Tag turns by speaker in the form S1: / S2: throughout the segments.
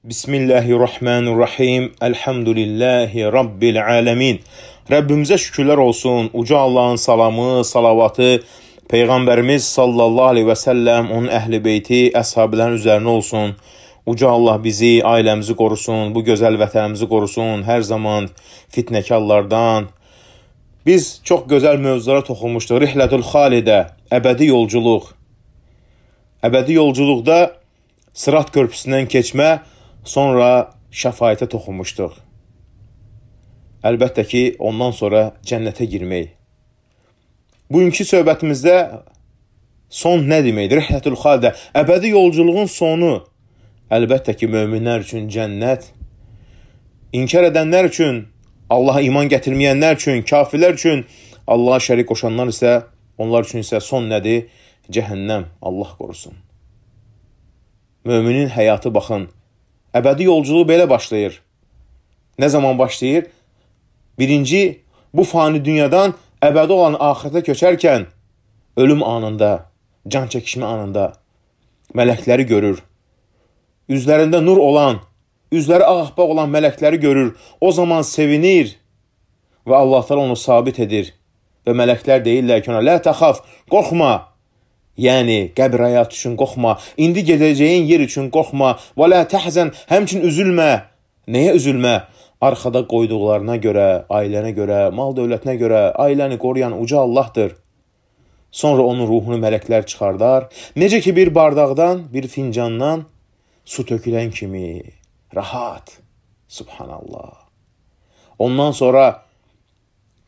S1: Bismillahirrahmanirrahim. Elhamdülillahi Rabbil alemin. Rəbbimizə şükürlər olsun. Uca Allahın salamı, salavatı Peyğəmbərimiz sallallahu aleyhi və səlləm, onun əhl-i beyti, əshabilərin üzərinə olsun. Uca Allah bizi, ailəmizi qorusun, bu gözəl vətənimizi qorusun, hər zaman fitnəkarlardan. Biz çox gözəl mövzulara toxunmuşduq. Rihlətül Xalidə, əbədi yolculuq. Əbədi yolculuqda Sırat körpüsündən keçmə, sonra şəfaətə toxunmuşduq. Əlbəttə ki, ondan sonra cənnətə girmək. Bugünkü söhbətimizdə son nə deməkdir? Rihlətül Xalidə, əbədi yolculuğun sonu. Əlbəttə ki, möminlər üçün cənnət, inkar edənlər üçün, Allaha iman gətirməyənlər üçün, kafirlər üçün, Allaha şərik qoşanlar isə, onlar üçün isə son nədir? Cəhənnəm, Allah qorusun. Möminin həyatı baxın, əbədi yolculuğu belə başlayır. Nə zaman başlayır? Birinci, bu fani dünyadan əbədi olan axirətə köçərkən, ölüm anında, can çəkişmə anında mələkləri görür. Üzlərində nur olan, üzləri ağappaq olan mələkləri görür. O zaman sevinir və Allah təala onu sabit edir. Və mələklər deyirlər ki ona, lə təxaf, qorxma. Yəni, qəbir həyatı üçün qorxma, indi gedəcəyin yer üçün qorxma, və lə təhzən, həmçin üzülmə. Nəyə üzülmə? Arxada qoyduqlarına görə, ailənə görə, mal dövlətinə görə, ailəni qoruyan uca Allahdır. Sonra onun ruhunu mələklər çıxardar. Necə ki bir bardaqdan, bir fincandan su tökülən kimi, rahat. Subhanallah. Ondan sonra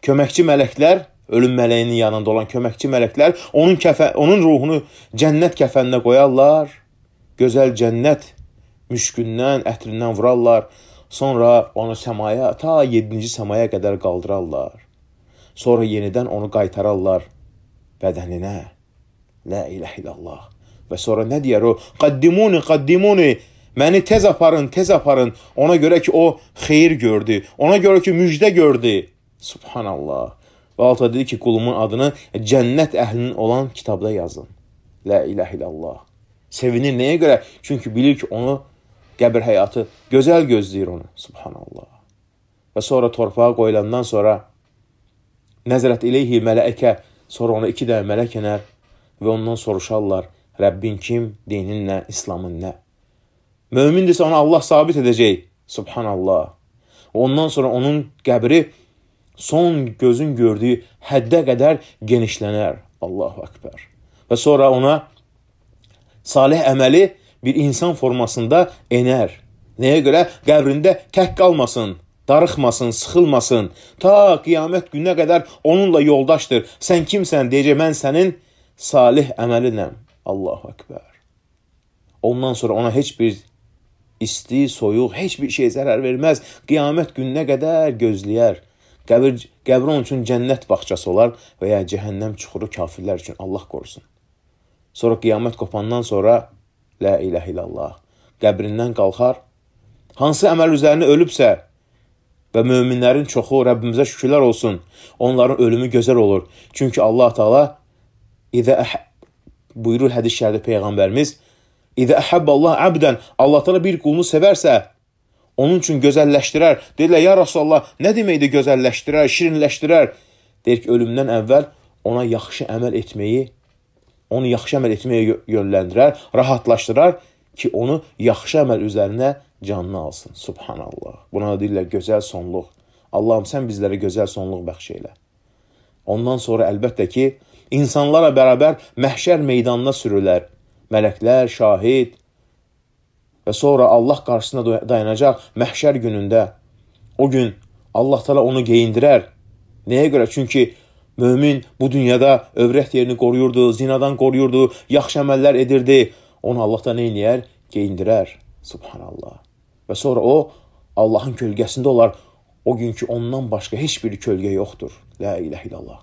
S1: köməkçi mələklər, ölüm mələyinin yanında olan köməkçi mələklər onun ruhunu cənnət kəfəninə qoyarlar. Gözəl cənnət müşkündən, ətrindən vurarlar. Sonra onu səmaya, ta 7-ci səmaya qədər qaldırarlar. Sonra yenidən onu qaytararlar bədəninə. La ilahe illallah. Və sonra nə deyər o? Qaddimuni, qaddimuni. Məni tez aparın, tez aparın. Ona görə ki o xeyir gördü. Ona görə ki müjdə gördü. Subhanallah. Və alta dedi ki, qulumun adını cənnət əhlinin olan kitabda yazın. La ilahe illallah. Sevinir nəyə görə? Çünki bilir ki, onu qəbir həyatı gözəl gözləyir onu. Subhanallah. Və sonra torpağa qoyulandan sonra nəzərət ileyhi mələkə, sonra ona 2 dənə mələk enər və ondan soruşarlar, Rəbbin kim, dinin nə, İslamın nə? Mömindirsə onu Allah sabit edəcək. Subhanallah. Ondan sonra onun qəbri son gözün gördüyü həddə qədər genişlənər. Allahu Akbar. Və sonra ona salih əməli bir insan formasında enər. Nəyə görə? Qəbrində tək qalmasın, darıxmasın, sıxılmasın. Ta qiyamət gününə qədər onunla yoldaşdır. Sən kimsən? Deyəcək, mən sənin salih əməlinəm. Allahu Akbar. Ondan sonra ona heç bir isti, soyuq, heç bir şey zərər verməz. Qiyamət gününə qədər gözləyər. Qəbir onun üçün cənnət bağçası olar və ya cəhənnəm çuxuru kafirlər üçün. Allah qorusun. Sonra qiyamət qopandan sonra la ilahe illallah qəbrindən qalxar. Hansı əməl üzərinə ölübsə və möminlərin çoxu, Rəbbimizə şükürlər olsun, onların ölümü gözəl olur. Çünki Allah Teala buyurur hədis şərifdə Peyğəmbərimiz, İdə əhəbballah əbdən, Allah Teala bir qulunu sevərsə, onun üçün gözəlləşdirər. Deyirlər, ya Rasulallah, nə deməkdir gözəlləşdirər, şirinləşdirər? Deyir ki, ölümdən əvvəl ona yaxşı əməl etməyi, onu yaxşı əməl etməyə yönləndirər, rahatlaşdırar ki, onu yaxşı əməl üzərinə canını alsın. Subhanallah. Buna deyirlər, gözəl sonluq. Allahım, sən bizlərə gözəl sonluq bəxş elə. Ondan sonra əlbəttə ki, insanlarla bərabər məhşər meydanına sürülər. Mələklər, şahid və sonra Allah qarşısında dayanacaq məhşər günündə. O gün Allah Teala onu geyindirər. Nəyə görə? Çünki mömin bu dünyada övrət yerini qoruyurdu, zinadan qoruyurdu, yaxşı əməllər edirdi. Onu Allah da nə eləyər? Geyindirər. Subhanallah. Və sonra o Allahın kölgəsində olar. O gün ki ondan başqa heç bir kölgə yoxdur. La ilahe illallah.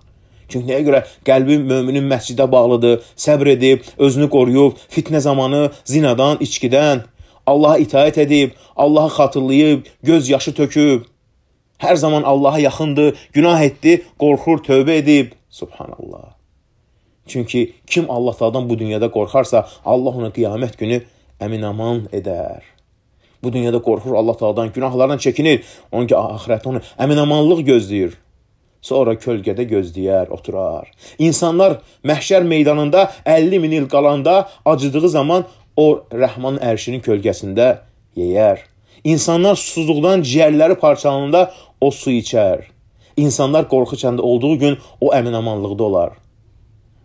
S1: Çünki nəyə görə? Qəlbi möminin məscidə bağlıdır, səbr edib, özünü qoruyub, fitnə zamanı zinadan, içkidən, Allaha itaət edib, Allahı xatırlayıb, göz yaşı töküb, hər zaman Allaha yaxındır, günah etdi, qorxur, tövbə edib. Subhanallah. Çünki kim Allah Taala'dan bu dünyada qorxarsa, Allah ona qiyamət günü əmin-aman edər. Bu dünyada qorxur Allah Taala'dan, günahlardan çəkinir. Onun ki, ahirətdə onu əmin-amanlıq gözləyir. Sonra kölgədə gözləyər, oturar. İnsanlar məhşər meydanında 50.000 il qalanda acıdığı zaman o Rəhmanın ərşinin kölgəsində yeyər. İnsanlar susuzluqdan ciyərləri parçalananda o su içər. İnsanlar qorxu içəndə olduğu gün o əmin-amanlıqda olar.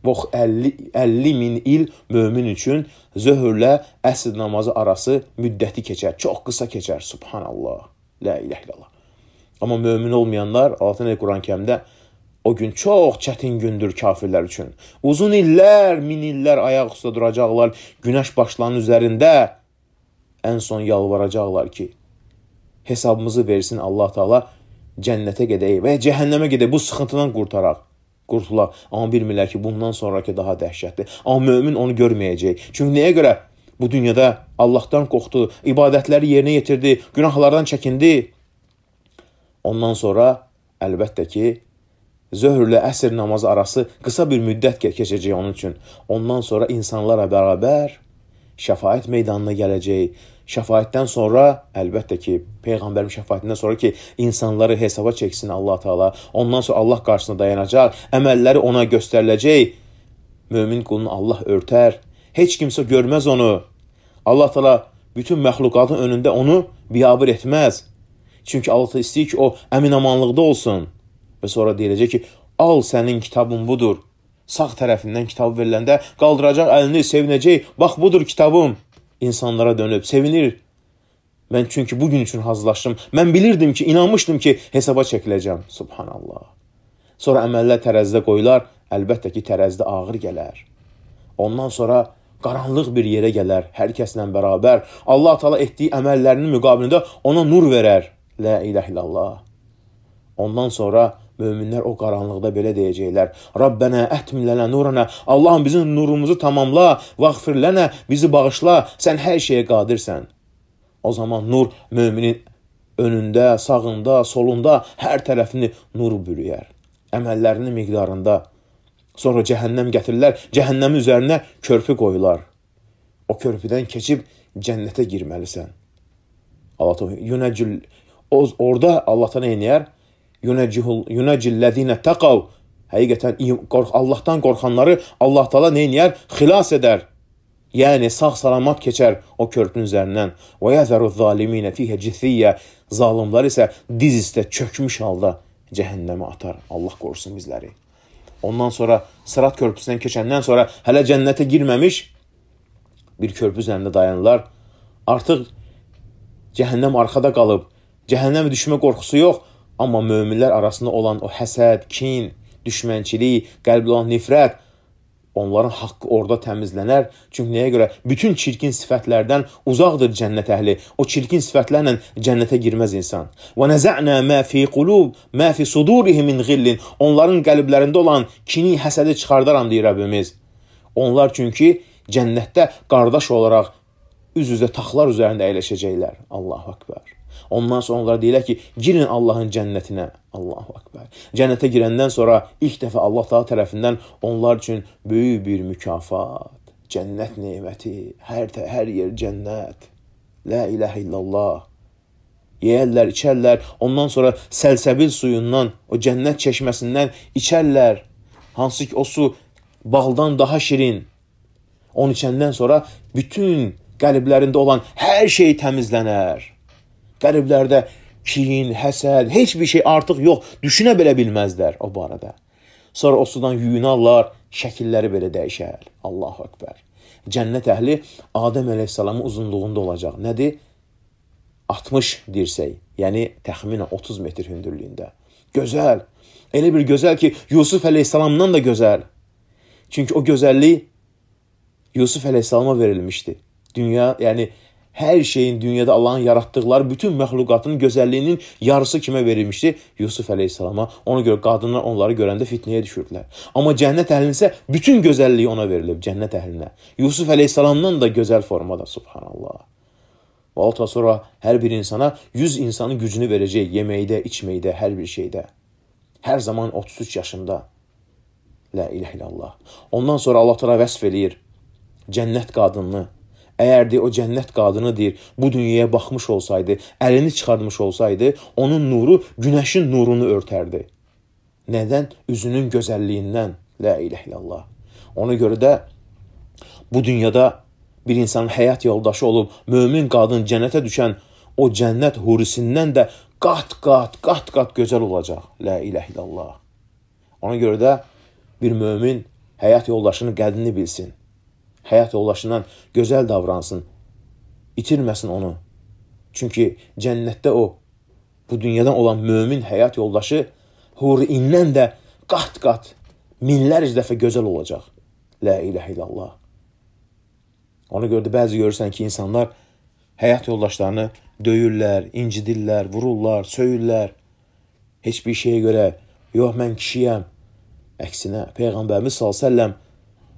S1: Bu 50.000 il mömin üçün zöhrlə əsr namazı arası müddəti keçər. Çox qısa keçər. Subhanallah. La ilahe illallah. Amma mömin olmayanlar, Allah Quran-Kərimdə o gün çox çətin gündür kafirlər üçün. Uzun illər, min illər ayaq üstə duracaqlar. Günəş başlarının üzərində ən son yalvaracaqlar ki, hesabımızı versin Allah Taala, cənnətə gedək və cəhənnəmə gedək, bu sıxıntıdan qurtulaq. Amma bilmirlər ki, bundan sonraki daha dəhşətdir. Amma mömin onu görməyəcək. Çünki nəyə görə? Bu dünyada Allahdan qorxdu, ibadətləri yerinə yetirdi, günahlardan çəkindi. Ondan sonra əlbəttə ki, zöhrlə əsr namazı arası qısa bir müddət keçəcək onun üçün. Ondan sonra insanlarla bərabər şəfaət meydanına gələcək. Şəfaətdən sonra, əlbəttə ki, Peyğəmbərin şəfaətindən sonra ki, insanları hesaba çəksin Allah Taala. Ondan sonra Allah qarşısında dayanacaq, əməlləri ona göstəriləcək. Mömin qulunu Allah örtər. Heç kimsə görməz onu. Allah Taala bütün məxluqatın önündə onu biabır etməz. Çünki Allah Taala istəyir ki, o əmin-amanlıqda olsun. Və sonra deyiləcək ki, al sənin kitabın budur. Sağ tərəfindən kitabı veriləndə qaldıracaq əlini, sevinəcək. Bax, budur kitabım. İnsanlara dönüb, sevinir. Mən çünki bugün üçün hazırlaşdım. Mən bilirdim ki, inanmışdım ki, hesaba çəkiləcəm. Subhanallah. Sonra əməllər tərəzidə qoyular. Əlbəttə ki, tərəzidə ağır gələr. Ondan sonra qaranlıq bir yerə gələr, hər kəslə bərabər. Allah Taala etdiyi əməllərinin müqabilində ona nur verər. La ilahe illallah. Ondan sonra möminlər o qaranlıqda belə deyəcəklər. Rabbənə ətmin lənə nurana. Allahım bizim nurumuzu tamamla. Vəğfir lənə, bizi bağışla. Sən hər şeyə qadirsən. O zaman nur müminin önündə, sağında, solunda hər tərəfini nur bürüyər. Əməllərinin miqdarında. Sonra cəhənnəm gətirirlər. Cəhənnəmin üzərinə körpü qoyular. O körpüdən keçib cənnətə girməlisən. Orada Allah Taala neyniyər? Yunəcillədinə təqav. Həqiqətən Allahdan qorxanları Allah Taala neyniyər? Xilas edər. Yəni sağ-salamat keçər o körpünün üzərindən. Və yəzəru zaliminə fiyhə cithiyyə. Zalimlər isə diz üstə çökmüş halda cəhənnəmə atar. Allah qorusun bizləri. Ondan sonra Sırat körpüsündən keçəndən sonra hələ cənnətə girməmiş bir körpü üzərində dayanırlar. Artıq cəhənnəm arxada qalıb. Cəhənnəmə düşmə qorxusu yox. Amma möminlər arasında olan o həsəd, kin, düşmənçilik, qəlbdə olan nifrət, onların haqqı orada təmizlənər. Çünki nəyə görə? Bütün çirkin sifətlərdən uzaqdır cənnət əhli. O çirkin sifətlərlə cənnətə girməz insan. Və nəzə'nə mə fi qulub, mə fi sudurihim min ghillin. Onların qəlblərində olan kini, həsədi çıxardaram deyir Rəbbimiz. Onlar çünki cənnətdə qardaş olaraq üz-üzə taxtlar üzərində əyləşəcəklər. Allahu Akbar. Ondan sonra onlara deyirlər ki, girin Allahın cənnətinə. Allahu Akbar. Cənnətə girəndən sonra ilk dəfə Allah Taala tərəfindən onlar üçün böyük bir mükafat, cənnət neməti, hər yer cənnət. La ilahe illallah. Yeyərlər, içərlər. Ondan sonra səlsəbil suyundan, o cənnət çeşməsindən içərlər. Hansı ki o su baldan daha şirin. Onu içəndən sonra bütün qəlblərində olan hər şey təmizlənər. Qəlblərdə kin, həsəd, heç bir şey artıq yox. Düşünə belə bilməzlər o barədə. Sonra o sudan yuyunarlar, şəkilləri belə dəyişər. Allahu Akbar. Cənnət əhli Adəm əleyhissalamın uzunluğunda olacaq. Nədir? 60 dirsək. Yəni təxminən 30 metr hündürlüyündə. Gözəl. Elə bir gözəl ki, Yusuf əleyhissalamdan da gözəl. Çünki o gözəllik Yusuf əleyhissalama verilmişdi. Dünya, yəni hər şeyin dünyada Allahın yaratdıqları bütün məxluqatın gözəlliyinin yarısı kimə verilmişdi? Yusuf əleyhissalama. Ona görə qadınlar onları görəndə fitnəyə düşürdülər. Amma cənnət əhlinə isə bütün gözəlliyi ona verilib, cənnət əhlinə. Yusuf əleyhissalamdan da gözəl formada, subhanallah. Və ondan sonra hər bir insana 100 insanın gücünü verəcək, yeməkdə, içməkdə, hər bir şeydə. Hər zaman 33 yaşında. La ilahe illallah. Ondan sonra Allah Teala vəsf eləyir cənnət qadınını. Əgər deyir, o cənnət qadını deyir, bu dünyaya baxmış olsaydı, əlini çıxarmış olsaydı, onun nuru günəşin nurunu örtərdi. Nədən? Üzünün gözəlliyindən. La ilahe illallah. Ona görə də bu dünyada bir insanın həyat yoldaşı olub, mömin qadın cənnətə düşən o cənnət hurisindən də qat-qat gözəl olacaq. La ilahe illallah. Ona görə də bir mömin həyat yoldaşının qədrini bilsin. Həyat yoldaşından gözəl davransın. İtirməsin onu. Çünki cənnətdə o, bu dünyadan olan mömin həyat yoldaşı hurindən də qat-qat, minlərcə dəfə gözəl olacaq. La ilahe illallah. Ona görə də bəzi görürsən ki, insanlar həyat yoldaşlarını döyürlər, incidirlər, vururlar, söyürlər. Heç bir şeyə görə, yox mən kişiyəm. Əksinə, Peyğəmbərimiz s.ə.v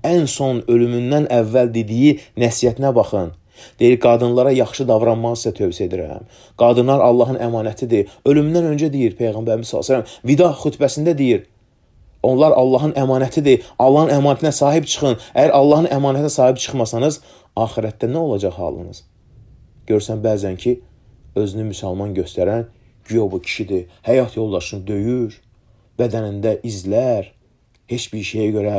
S1: ən son ölümündən əvvəl dediyi nəsiyyətinə baxın. Deyir, qadınlara yaxşı davranmağı sizə tövsiyə edirəm. Qadınlar Allahın əmanətidir. Ölümündən öncə deyir Peyğəmbərimiz s.ə.v. Vida xütbəsində deyir. Onlar Allahın əmanətidir. Allahın əmanətinə sahib çıxın. Əgər Allahın əmanətinə sahib çıxmasanız, axirətdə nə olacaq halınız? Görsən bəzən ki, özünü müsəlman göstərən güya bu kişidir. Həyat yoldaşını döyür, bədənində izlər, heç bir şeyə görə.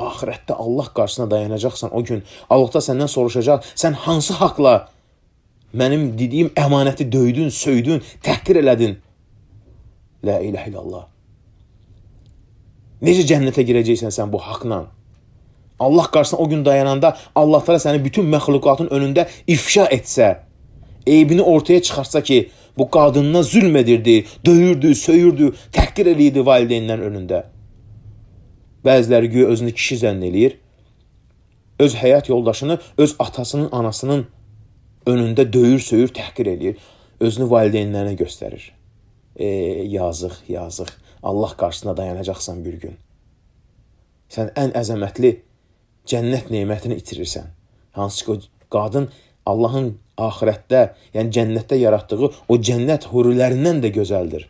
S1: Axirətdə Allah qarşısına dayanacaqsan o gün. Allah da səndən soruşacaq, sən hansı haqla mənim dediyim əmanəti döydün, söydün, təhqir elədin? La ilahe illallah. Necə cənnətə girəcəksən sən bu haqla? Allah qarşısına o gün dayananda Allah təala səni bütün məxluqatın önündə ifşa etsə, eybini ortaya çıxarsa ki, bu qadınına zülm edirdi, döyürdü, söyürdü, təhqir eləyirdi valideynlərin önündə. Bəziləri güya özünü kişi zənn eləyir, öz həyat yoldaşını öz atasının, anasının önündə döyür, söyür, təhqir eləyir, özünü valideynlərinə göstərir. Yazıq. Allah qarşısına dayanacaqsan bir gün. Sən ən əzəmətli cənnət nemətini itirirsən. Hansı ki, qadın Allahın axirətdə, yəni cənnətdə yaratdığı o cənnət hurilərindən də gözəldir.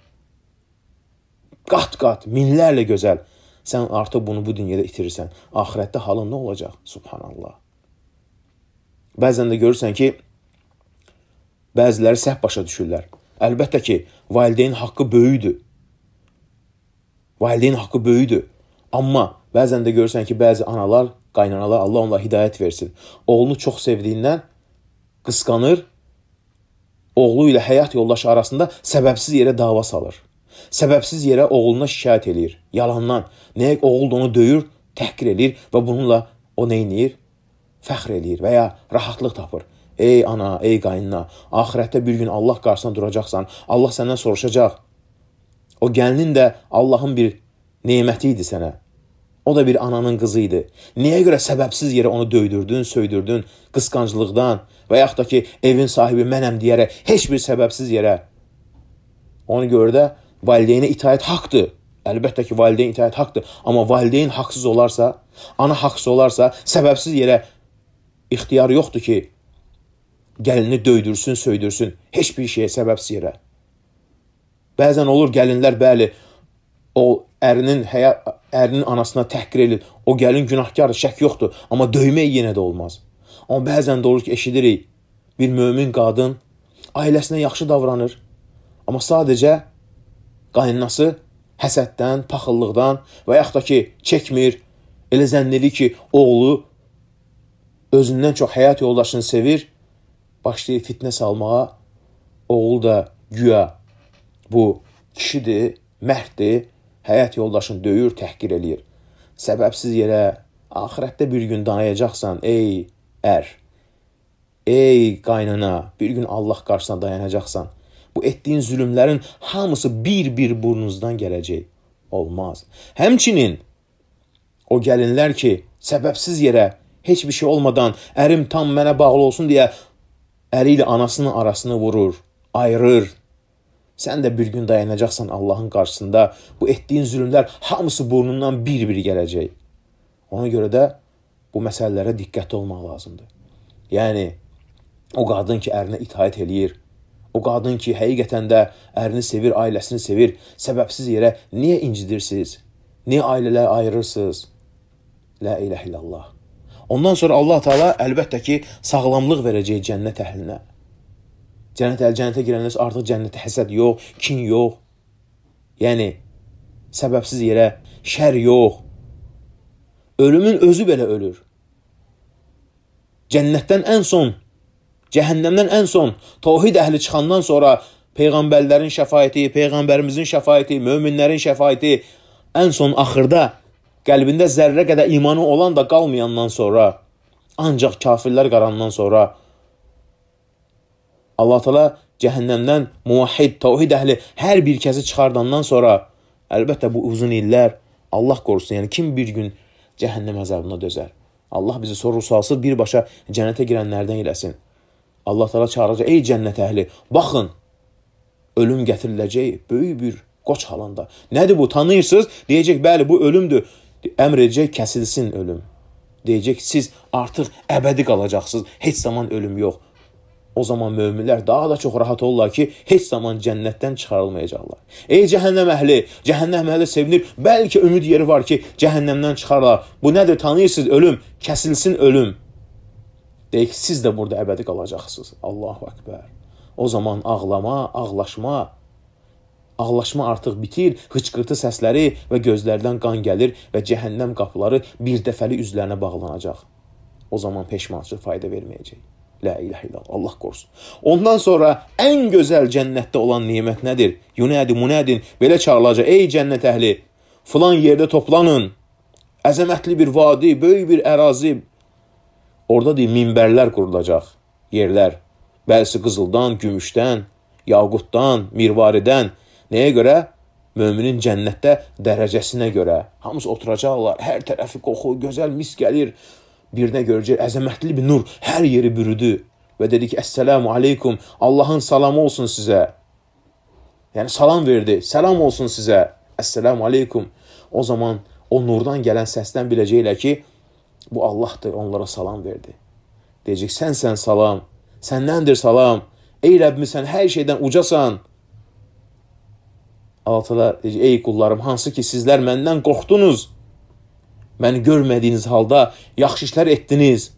S1: Qat-qat, minlərlə gözəl. Sən artıq bunu bu dünyada itirirsən. Axirətdə halın nə olacaq? Subhanallah. Bəzən də görürsən ki, bəziləri səhv başa düşürlər. Əlbəttə ki, valideyn haqqı böyüdür. Valideyn haqqı böyüdür. Amma bəzən də görürsən ki, bəzi analar, qaynanalar, Allah onlara hidayət versin. Oğlunu çox sevdiyindən qısqanır, oğlu ilə həyat yoldaşı arasında səbəbsiz yerə dava salır. Səbəbsiz yerə oğluna şikayət eləyir. Yalandan. Nəyə oğul da onu döyür, təhqir eləyir və bununla o nə eləyir? Fəxr eləyir və ya rahatlıq tapır. Ey ana, ey qaynına, axirətdə bir gün Allah qarşısına duracaqsan, Allah səndən soruşacaq. O gəlinin də Allahın bir neməti idi sənə. O da bir ananın qızı idi. Niyə görə səbəbsiz yerə onu döydürdün, söydürdün, qısqanclıqdan və yaxud da ki, evin sahibi mənəm deyərək, heç bir səbəbsiz yerə. Ona görə də valideynə itaət haqdır. Əlbəttə ki, valideyn itaət haqdır. Amma valideyn haqsız olarsa, ana haqsız olarsa, səbəbsiz yerə ixtiyar yoxdur ki, gəlini döydürsün, söydürsün. Heç bir şeyə səbəbsiz yerə. Bəzən olur gəlinlər, bəli, o ərinin anasına təhqir edir. O gəlin günahkardır, şək yoxdur. Amma döymək yenə də olmaz. Amma bəzən də olur ki, eşidirik, bir mömin qadın ailəsinə yaxşı davranır. Amma sadəcə qaynanası həsəddən, paxıllıqdan və yaxud da ki, çəkmir, elə zənn edir ki, oğlu özündən çox həyat yoldaşını sevir, başlayır fitnə salmağa, oğul da güya bu kişidir, mərddir, həyat yoldaşını döyür, təhqir eləyir. Səbəbsiz yerə axirətdə bir gün dayanacaqsan, ey ər, ey qaynana, bir gün Allah qarşısına dayanacaqsan. Bu etdiyin zülümlərin hamısı bir-bir burnunuzdan gələcək. Olmaz. Həmçinin o gəlinlər ki, səbəbsiz yerə, heç bir şey olmadan ərim tam mənə bağlı olsun deyə əri ilə anasının arasını vurur, ayırır. Sən də bir gün dayanacaqsan Allahın qarşısında. Bu etdiyin zülümlər hamısı burnundan bir-bir gələcək. Ona görə də bu məsələlərə diqqətli olmaq lazımdır. Yəni, o qadın ki, ərinə itaət eləyir, o qadın ki, həqiqətən də ərini sevir, ailəsini sevir, səbəbsiz yerə niyə incidirsiniz? Niyə ailələr ayırırsınız? La ilahe illallah. Ondan sonra Allah Teala əlbəttə ki, sağlamlıq verəcək cənnət əhlinə. Cənnətə girəndə artıq cənnətə həsəd yox, kin yox. Yəni, səbəbsiz yerə şər yox. Ölümün özü belə ölür. Cənnətdən ən son, cəhənnəmdən ən son, tavhid əhli çıxandan sonra Peyğəmbərlərin şəfaəti, Peyğəmbərimizin şəfaəti, möminlərin şəfaəti, ən son axırda qəlbində zərrə qədər imanı olan da qalmayandan sonra, ancaq kafirlər qarandan sonra Allah Teala cəhənnəmdən muvahhid, tavhid əhli hər bir kəsi çıxardandan sonra, əlbəttə bu uzun illər, Allah qorusun, yəni kim bir gün cəhənnəm əzabına dözər? Allah bizi soru-sualsız birbaşa cənnətə girənlərdən eləsin. Allah Teala çağıracaq, ey cənnət əhli, baxın, ölüm gətiriləcək böyük bir qoç halında. Nədir bu? Tanıyırsınız? Deyəcək, bəli, bu ölümdür. Əmr edəcək, kəsilsin ölüm. Deyəcək, siz artıq əbədi qalacaqsınız, heç zaman ölüm yox. O zaman möminlər daha da çox rahat olurlar ki, heç zaman cənnətdən çıxarılmayacaqlar. Ey cəhənnəm əhli sevinir. Bəlkə ümid yeri var ki, cəhənnəmdən çıxarlar. Bu nədir? Tanıyırsınız ölüm, kəsilsin ölüm. Deyək, siz də burada əbədi qalacaqsınız. Allahu Ekber. O zaman ağlama, ağlaşma artıq bitir, hıçqırtı səsləri və gözlərdən qan gəlir və cəhənnəm qapıları bir dəfəli üzlərinə bağlanacaq. O zaman peşmançılıq fayda verməyəcək. La ilahe illallah, Allah qorusun. Ondan sonra ən gözəl cənnətdə olan nemət nədir? Yunadin, belə çağırılacaq, ey cənnət əhli, filan yerdə toplanın, əzəmətli bir vadi, böyük bir ərazi. Orada deyil, minbərlər qurulacaq, yerlər. Bəlsi qızıldan, gümüşdən, yaqutdan, mirvaridən. Nəyə görə? Möminin cənnətdə dərəcəsinə görə. Hamısı oturacaqlar, hər tərəfi qoxu, gözəl mis gəlir. Birinə görəcək, əzəmətli bir nur hər yeri bürüdü. Və dedi ki, Əssəlamu aleykum, Allahın salamı olsun sizə. Yəni salam verdi, salam olsun sizə. Əssəlamu aleykum. O zaman o nurdan gələn səsdən biləcəklər ki, bu Allahdır, onlara salam verdi. Deyəcək, sən salam, səndəndir salam. Ey Rəbbim, sən hər şeydən ucasan. Allah Teala deyəcək, ey qullarım, hansı ki sizlər məndən qorxdunuz. Məni görmədiyiniz halda yaxşı işlər etdiniz.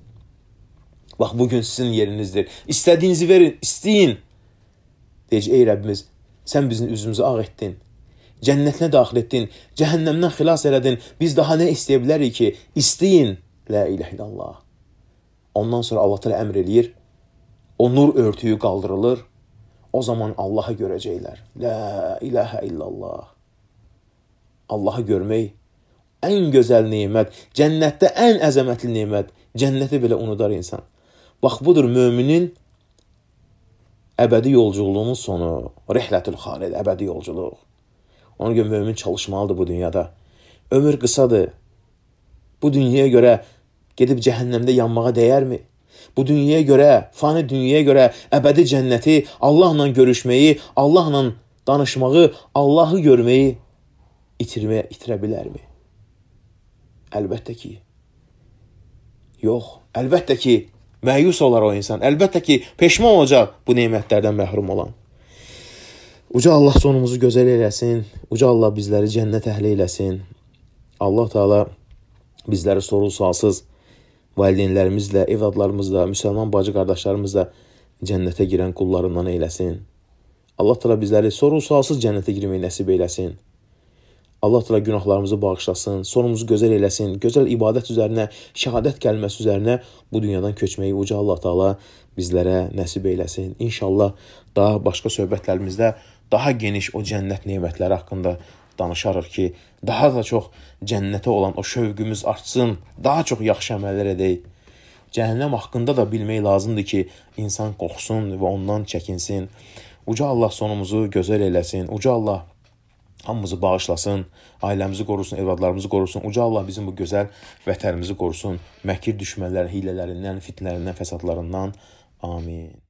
S1: Bax, bugün sizin yerinizdir. İstədiyinizi verin, istəyin. Deyəcək, ey Rəbbimiz, sən bizim üzümüzü ağ etdin. Cənnətinə daxil etdin. Cəhənnəmdən xilas elədin. Biz daha nə istəyə bilərik ki? İstəyin. La ilahe illallah. Ondan sonra Allah Teala əmr eləyir. O nur örtüyü qaldırılır. O zaman Allah'ı görəcəklər. La ilahe illallah. Allah'ı görmək ən gözəl nemət, cənnətdə ən əzəmətli nemət, cənnəti belə unudar insan. Bax, budur müminin əbədi yolculuğunun sonu, rihlətül xalid, əbədi yolculuq. Ona görə mümin çalışmalıdır bu dünyada. Ömür qısadır. Bu dünyaya görə gedib cəhənnəmdə yanmağa dəyərmi? Bu dünyaya görə, fani dünyaya görə əbədi cənnəti, Allahla görüşməyi, Allahla danışmağı, Allahı görməyi itirə bilərmi? Əlbəttə ki, yox. Əlbəttə ki, məyus olar o insan. Əlbəttə ki, peşman olacaq bu nemətlərdən məhrum olan. Uca Allah sonumuzu gözəl eləsin. Uca Allah bizləri cənnət əhli eləsin. Allah Teala bizləri soru-sualsız valideynlərimizlə, evladlarımızla, müsəlman bacı qardaşlarımızla cənnətə girən qullarından eləsin. Allah Teala bizləri soru-sualsız cənnətə girməyi nəsib eləsin. Allah Teala günahlarımızı bağışlasın, sonumuzu gözəl eləsin, gözəl ibadət üzərinə, şəhadət kəlməsi üzərinə bu dünyadan köçməyi uca Allah Teala bizlərə nəsib eləsin. İnşallah daha başqa söhbətlərimizdə daha geniş o cənnət nemətləri haqqında danışarıq ki, daha da çox cənnətə olan o şövqümüz artsın, daha çox yaxşı əməllər edək. Cəhənnəm haqqında da bilmək lazımdır ki, insan qorxsun və ondan çəkinsin. Uca Allah sonumuzu gözəl eləsin, uca Allah hamımızı bağışlasın, ailəmizi qorusun, evladlarımızı qorusun. Uca Allah bizim bu gözəl vətənimizi qorusun. Məkir düşmənlərin, hilələrindən, fitnələrindən, fəsadlarından. Amin.